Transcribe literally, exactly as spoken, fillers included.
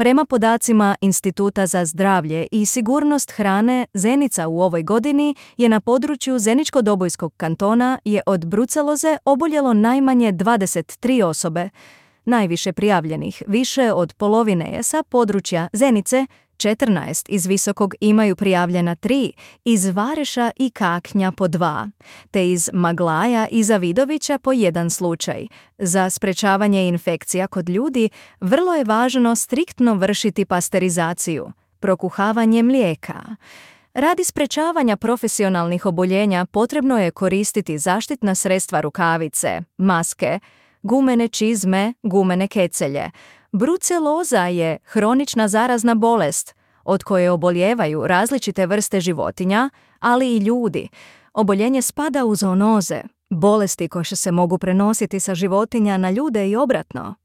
Prema podacima Instituta za zdravlje i sigurnost hrane, Zenica u ovoj godini je na području Zeničko-Dobojskog kantona je od bruceloze oboljelo najmanje dvadeset tri osobe. Najviše prijavljenih, više od polovine je sa područja Zenice, četrnaest iz Visokog imaju prijavljena tri, iz Vareša i Kaknja po dva, te iz Maglaja i Zavidovića po jedan slučaj. Za sprečavanje infekcija kod ljudi vrlo je važno striktno vršiti pasterizaciju, prokuhavanje mlijeka. Radi sprečavanja profesionalnih oboljenja potrebno je koristiti zaštitna sredstva rukavice, maske, gumene čizme, gumene kecelje. Bruceloza je hronična zarazna bolest od koje obolijevaju različite vrste životinja, ali i ljudi. Oboljenje spada u zoonoze, bolesti koje se mogu prenositi sa životinja na ljude i obratno.